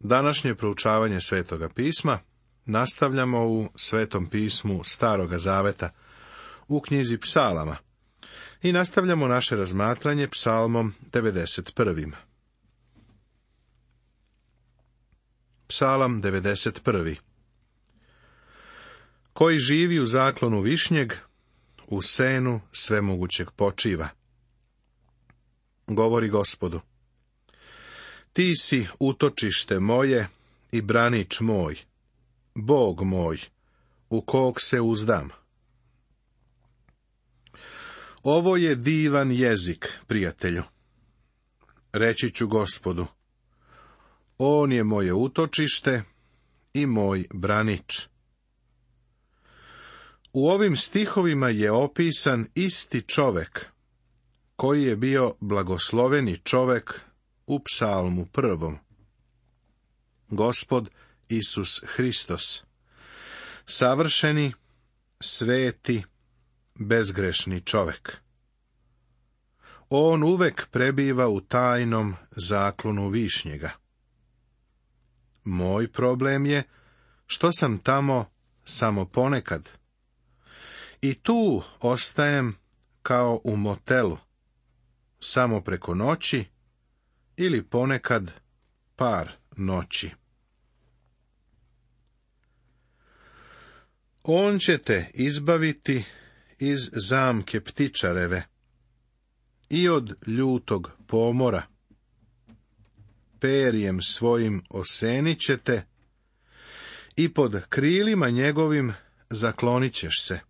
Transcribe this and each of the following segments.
Današnje proučavanje Svetoga pisma nastavljamo u Svetom pismu Staroga Zaveta, u knjizi Psalama, i nastavljamo naše razmatranje Psalmom 91. Psalam 91. Koji živi u zaklonu višnjeg, u senu svemogućeg počiva. Govori Gospodu: Ti si utočište moje i branič moj, Bog moj, u kog se uzdam. Ovo je divan jezik, prijatelju. Reći ću Gospodu: On je moje utočište i moj branič. U ovim stihovima je opisan isti čovek, koji je bio blagosloveni čovek u Psalmu 1. Gospod Isus Hristos, savršeni, sveti, bezgrešni čovek. On uvek prebiva u tajnom zaklonu višnjega. Moj problem je što sam tamo samo ponekad. I tu ostajem kao u motelu, samo preko noći ili ponekad par noći. On će te izbaviti iz zamke ptičareve i od ljutog pomora. Perjem svojim osenit će te i pod krilima njegovim zaklonit ćeš se.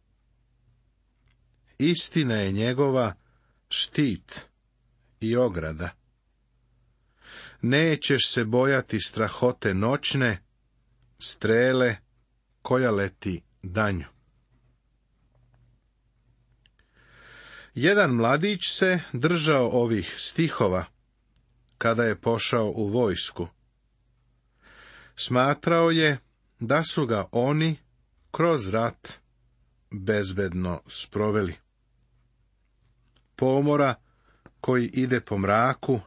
Istina je njegova štit i ograda. Nećeš se bojati strahote noćne, strele koja leti danju. Jedan mladić se držao ovih stihova kada je pošao u vojsku. Smatrao je da su ga oni kroz rat bezbedno sproveli. Pomora koji ide po mraku,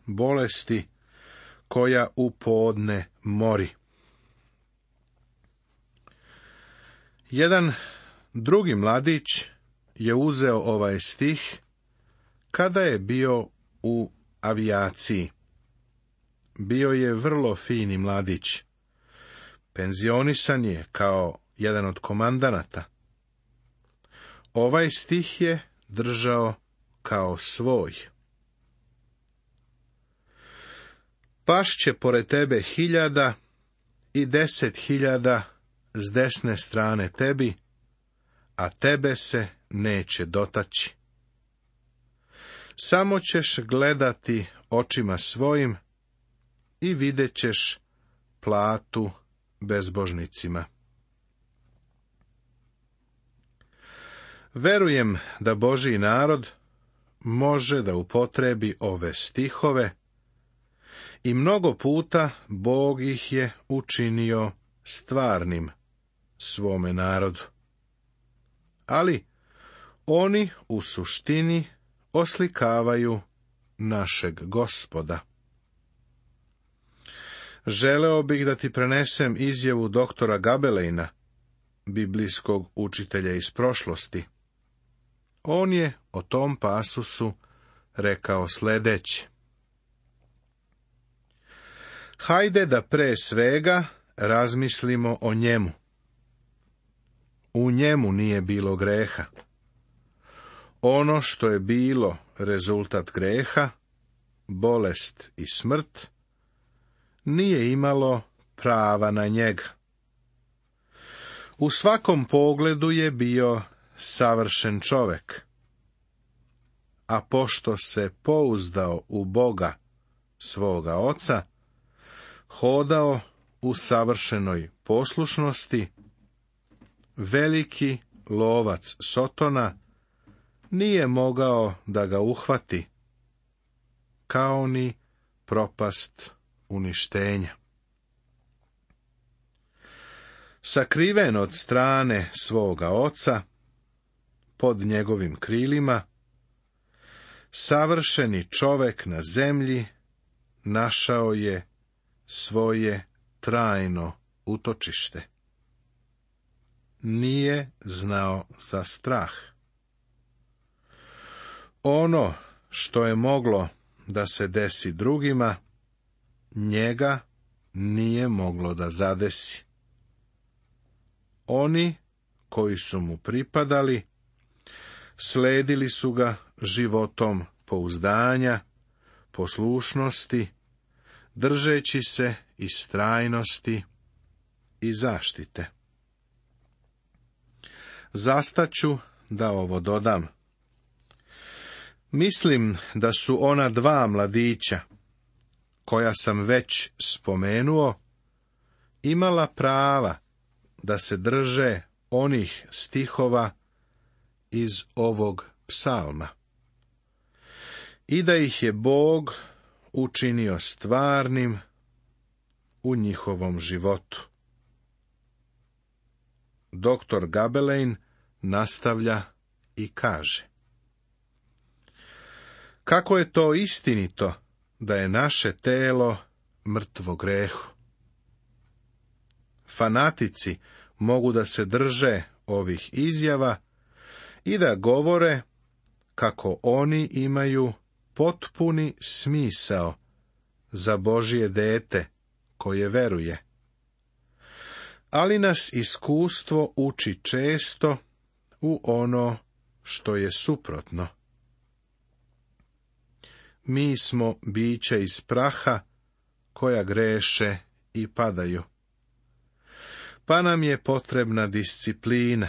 bolesti koja u podne mori. Jedan drugi mladić je uzeo ovaj stih kada je bio u avijaciji. Bio je vrlo fini mladić. Penzionisan je kao jedan od komandanata. Ovaj stih je držao kao svoj. Pašće pored tebe 1000 i 10.000 s desne strane tebi, a tebe se neće dotaći. Samo ćeš gledati očima svojim i vidjet ćeš platu bezbožnicima. Verujem da Božji narod može da upotrebi ove stihove i mnogo puta Bog ih je učinio stvarnim svome narodu. Ali oni u suštini oslikavaju našeg Gospoda. Želeo bih da ti prenesem izjavu doktora Gabelejna, biblijskog učitelja iz prošlosti. On je o tom pasusu rekao sledeće: Hajde da pre svega razmislimo o njemu. U njemu nije bilo greha. Ono što je bilo rezultat greha, bolest i smrt, nije imalo prava na njega. U svakom pogledu je bio savršen čovek. A pošto se pouzdao u Boga, svoga Oca, hodao u savršenoj poslušnosti, veliki lovac Sotona nije mogao da ga uhvati, kao ni propast uništenja. Sakriven od strane svoga Oca, pod njegovim krilima, savršeni čovek na zemlji našao je svoje trajno utočište. Nije znao za strah. Ono što je moglo da se desi drugima, njega nije moglo da zadesi. Oni koji su mu pripadali, sledili su ga životom pouzdanja, poslušnosti, držeći se istrajnosti i zaštite. Zastaću da ovo dodam. Mislim da su ona dva mladića, koja sam već spomenuo, imala prava da se drže onih stihova iz ovog psalma i da ih je Bog učinio stvarnim u njihovom životu. Doktor Gabelein nastavlja i kaže: kako je to istinito da je naše telo mrtvo grehu. Fanatici mogu da se drže ovih izjava i da govore kako oni imaju potpuni smisao za Božje dete koje veruje. Ali nas iskustvo uči često u ono što je suprotno. Mi smo bića iz praha koja greše i padaju. Pa nam je potrebna disciplina.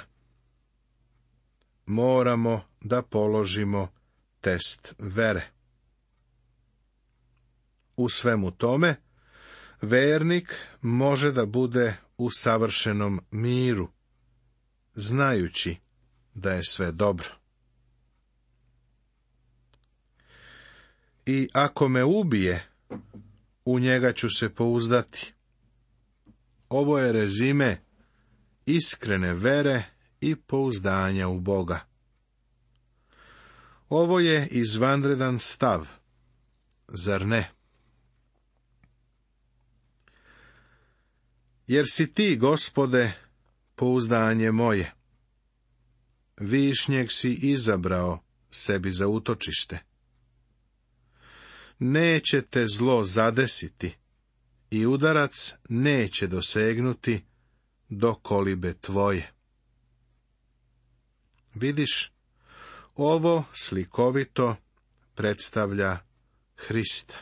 Moramo da položimo test vere. U svemu tome, vernik može da bude u savršenom miru, znajući da je sve dobro. I ako me ubije, u njega ću se pouzdati. Ovo je rezime iskrene vere i pouzdanja u Boga. Ovo je izvanredan stav, zar ne? Jer si ti, Gospode, pouzdanje moje. Višnjeg si izabrao sebi za utočište. Neće te zlo zadesiti i udarac neće dosegnuti do kolibe tvoje. Vidiš, ovo slikovito predstavlja Hrista.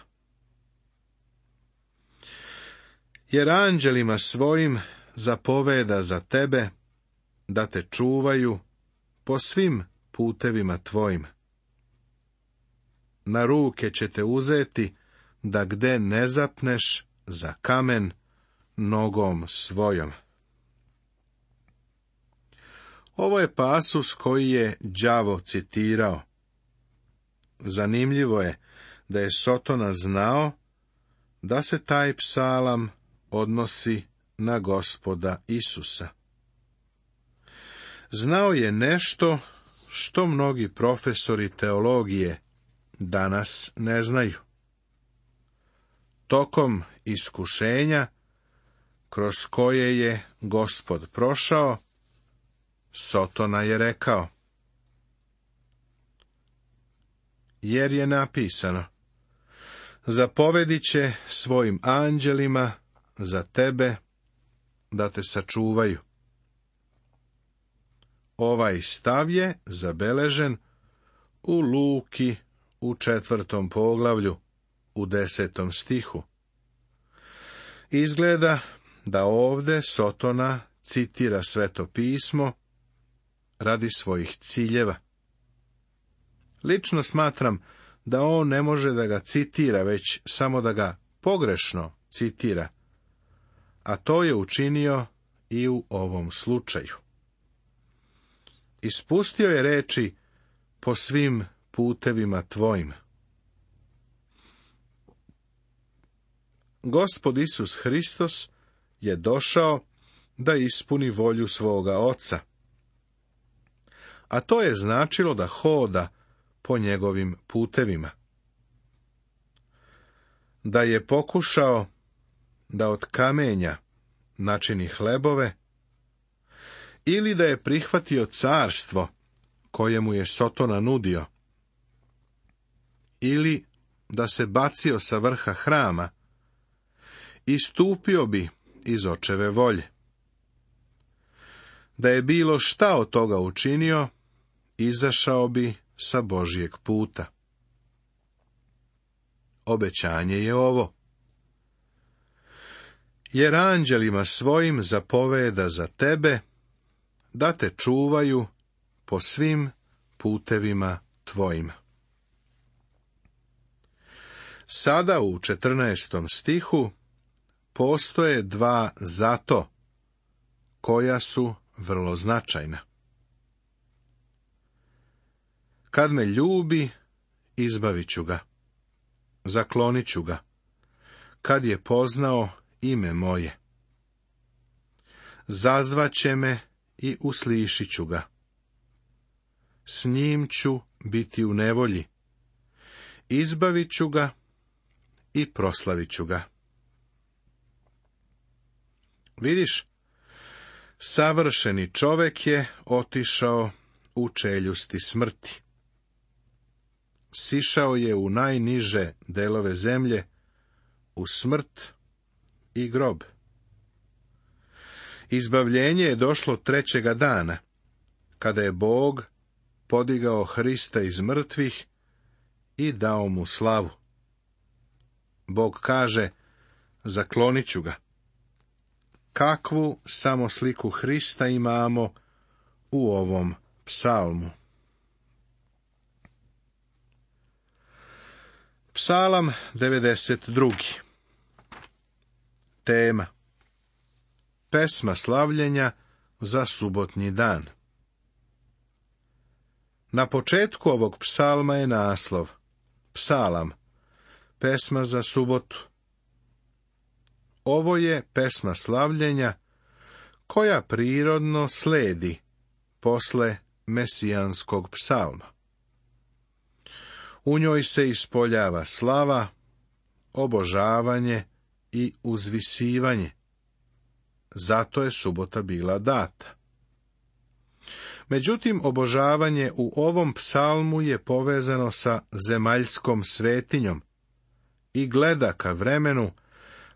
Jer anđelima svojim zapoveda za tebe da te čuvaju po svim putevima tvojim. Na ruke će te uzeti da gde ne zapneš za kamen nogom svojom. Ovo je pasus koji je đavo citirao. Zanimljivo je da je Sotona znao da se taj psalam odnosi na Gospoda Isusa. Znao je nešto što mnogi profesori teologije danas ne znaju. Tokom iskušenja kroz koje je Gospod prošao, Sotona je rekao: jer je napisano, zapovedit će svojim anđelima za tebe da te sačuvaju. Ovaj stav je zabeležen u Luki u 4. poglavlju, u 10. stihu. Izgleda da ovde Sotona citira Sveto pismo radi svojih ciljeva. Lično smatram da on ne može da ga citira, već samo da ga pogrešno citira, a to je učinio i u ovom slučaju. Ispustio je reči po svim putevima tvojim. Gospod Isus Hristos je došao da ispuni volju svoga Oca, a to je značilo da hoda po njegovim putevima. Da je pokušao da od kamenja načini hlebove, ili da je prihvatio carstvo koje mu je Sotona nudio, ili da se bacio sa vrha hrama, istupio bi iz očeve volje. Da je bilo šta od toga učinio, izašao bi sa Božjeg puta. Obećanje je ovo: jer anđelima svojim zapoveda za tebe, da te čuvaju po svim putevima tvojima. Sada u 14. stihu postoje dva zato, koja su vrlo značajna. Kad me ljubi, izbavit ću ga, zaklonit ću ga, kad je poznao ime moje. Zazvaće me i uslišit ću ga. S njim ću biti u nevolji, izbavit ću ga i proslavit ću ga. Vidiš, savršeni čovek je otišao u čeljusti smrti. Sišao je u najniže delove zemlje, u smrt i grob. Izbavljenje je došlo trećega dana, kada je Bog podigao Hrista iz mrtvih i dao mu slavu. Bog kaže: zaklonit ću ga. Kakvu samo sliku Hrista imamo u ovom psalmu. Psalam 92. Tema: pesma slavljenja za subotnji dan. Na početku ovog psalma je naslov: Psalam, pesma za subotu. Ovo je pesma slavljenja koja prirodno sledi posle mesijanskog psalma. U njoj se ispoljava slava, obožavanje i uzvisivanje. Zato je subota bila data. Međutim, obožavanje u ovom psalmu je povezano sa zemaljskom svetinjom i gleda ka vremenu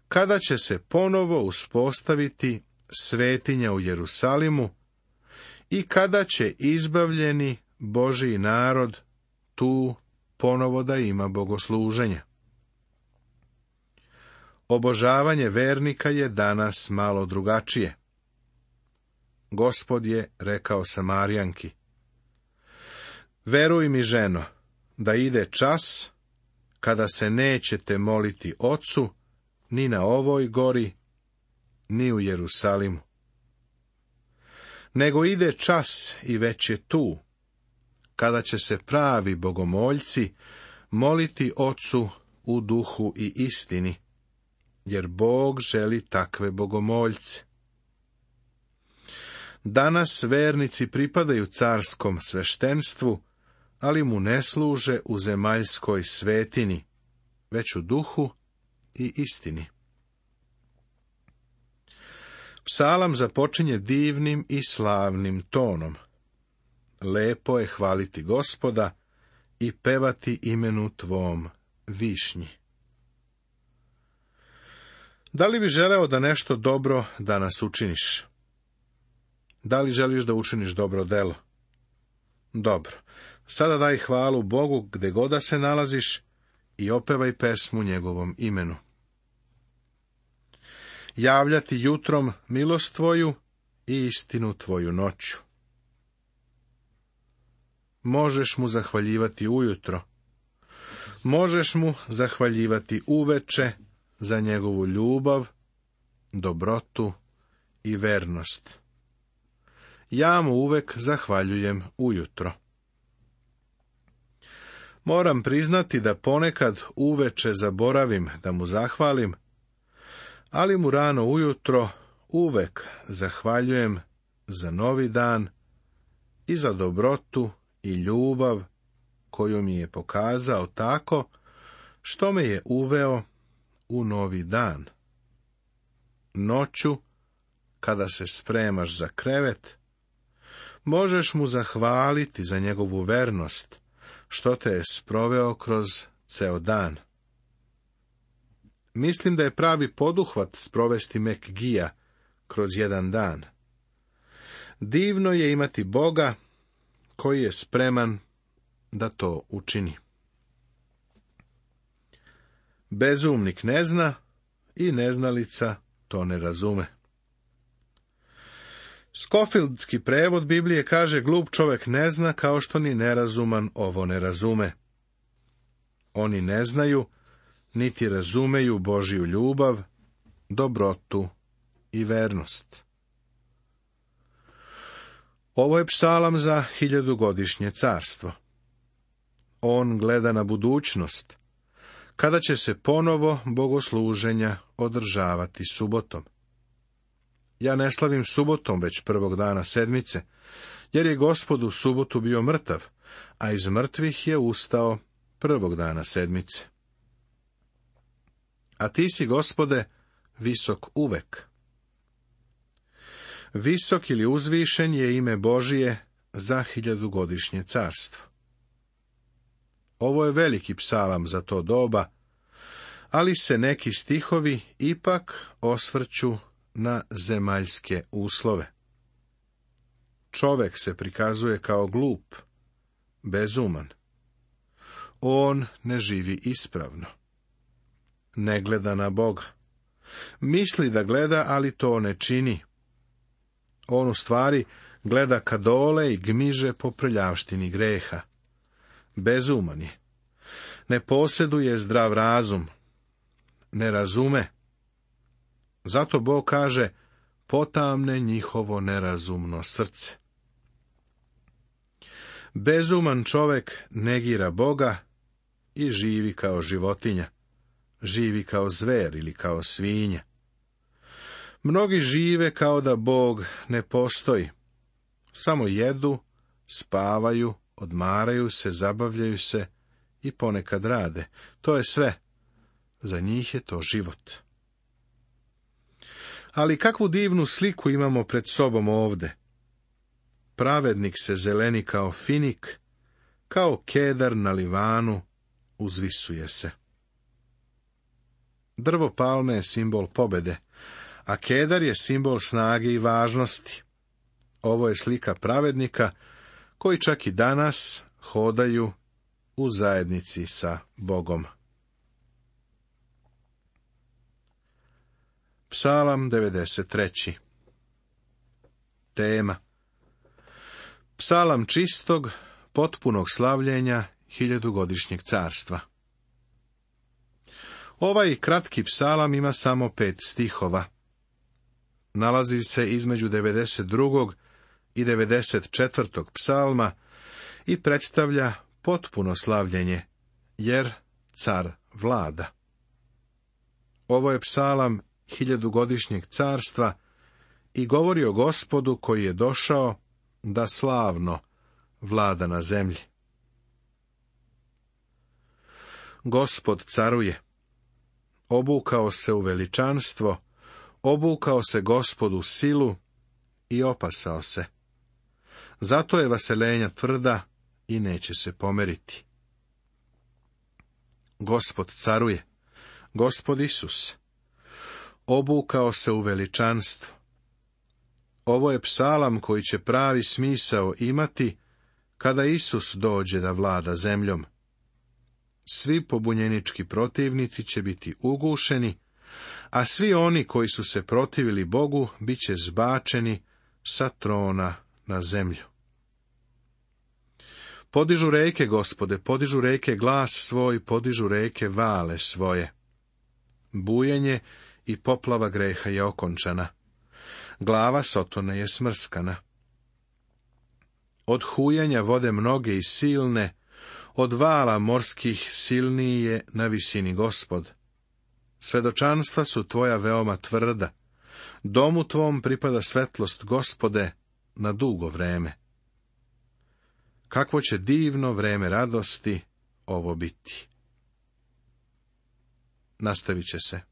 kada će se ponovo uspostaviti svetinja u Jerusalimu i kada će izbavljeni Božji narod tu ponovo da ima bogosluženja. Obožavanje vernika je danas malo drugačije. Gospod je rekao Samarijanki: veruj mi, ženo, da ide čas kada se nećete moliti Ocu ni na ovoj gori, ni u Jerusalimu. Nego ide čas i već je tu, kada će se pravi bogomoljci moliti Ocu u duhu i istini, jer Bog želi takve bogomoljce. Danas vernici pripadaju carskom sveštenstvu, ali mu ne služe u zemaljskoj svetini, već u duhu i istini. Psalam započinje divnim i slavnim tonom. Lepo je hvaliti Gospoda i pevati imenu tvom višnji. Da li bi želeo da nešto dobro danas učiniš? Da li želiš da učiniš dobro delo? Dobro. Sada daj hvalu Bogu gde god da se nalaziš i opevaj pesmu njegovom imenu. Javljati jutrom milost tvoju i istinu tvoju noću. Možeš mu zahvaljivati ujutro. Možeš mu zahvaljivati uveče za njegovu ljubav, dobrotu i vernost. Ja mu uvek zahvaljujem ujutro. Moram priznati da ponekad uveče zaboravim da mu zahvalim, ali mu rano ujutro uvek zahvaljujem za novi dan i za dobrotu i ljubav koju mi je pokazao tako što me je uveo u novi dan. noću, kada se spremaš za krevet, možeš mu zahvaliti za njegovu vernost, što te je sproveo kroz ceo dan. Mislim da je pravi poduhvat sprovesti Mekgija kroz jedan dan. Divno je imati Boga koji je spreman da to učini. Bezumnik ne zna i neznalica to ne razume. Skofieldski prevod Biblije kaže: glup čovjek ne zna kao što ni nerazuman ovo ne razume. Oni ne znaju, niti razumeju Božju ljubav, dobrotu i vernost. Ovo je psalam za 1000-godišnje carstvo. On gleda na budućnost, kada će se ponovo bogosluženja održavati subotom. Ja ne slavim subotom već prvog dana sedmice, jer je Gospod u subotu bio mrtav, a iz mrtvih je ustao prvog dana sedmice. A ti si, Gospode, visok uvek. Visok ili uzvišen je ime Božije za 1000-godišnje carstvo. Ovo je veliki psalam za to doba, ali se neki stihovi ipak osvrću na zemaljske uslove. Čovek se prikazuje kao glup, bezuman. On ne živi ispravno. Ne gleda na Boga. Misli da gleda, ali to ne čini. On u stvari gleda ka dole i gmiže po prljavštini greha. Bezuman je. Ne posjeduje zdrav razum. Ne razume. Zato Bog kaže: potamne njihovo nerazumno srce. Bezuman čovek negira Boga i živi kao životinja. Živi kao zver ili kao svinja. Mnogi žive kao da Bog ne postoji. Samo jedu, spavaju, odmaraju se, zabavljaju se i ponekad rade. To je sve. Za njih je to život. Ali kakvu divnu sliku imamo pred sobom ovde. Pravednik se zeleni kao finik, kao kedar na Livanu, uzvisuje se. Drvo palme je simbol pobede, a kedar je simbol snage i važnosti. Ovo je slika pravednika koji čak i danas hodaju u zajednici sa Bogom. Psalam 93. Tema: psalam čistog, potpunog slavljenja 1000-godišnjeg carstva. Ovaj kratki psalam ima samo 5 stihova. Nalazi se između 92. i 94. psalma i predstavlja potpuno slavljenje, jer car vlada. Ovo je psalam 1000-godišnjeg carstva i govori o Gospodu koji je došao da slavno vlada na zemlji. Gospod caruje. Obukao se u veličanstvo, obukao se Gospod u silu i opasao se. Zato je vaselenja tvrda i neće se pomeriti. Gospod caruje, Gospod Isus. Obukao se u veličanstvo. Ovo je psalam koji će pravi smisao imati kada Isus dođe da vlada zemljom. Svi pobunjenički protivnici će biti ugušeni, a svi oni koji su se protivili Bogu bit će zbačeni sa trona na zemlju. Podižu reke, Gospode, podižu reke glas svoj, podižu reke vale svoje. Bujenje i poplava greha je okončana. Glava Sotone je smrskana. Od hujanja vode mnoge i silne, od vala morskih silniji je na visini Gospod. Svedočanstva su tvoja veoma tvrda. Domu tvom pripada svetlost, Gospode, na dugo vreme. Kakvo će divno vreme radosti ovo biti. Nastavit će se.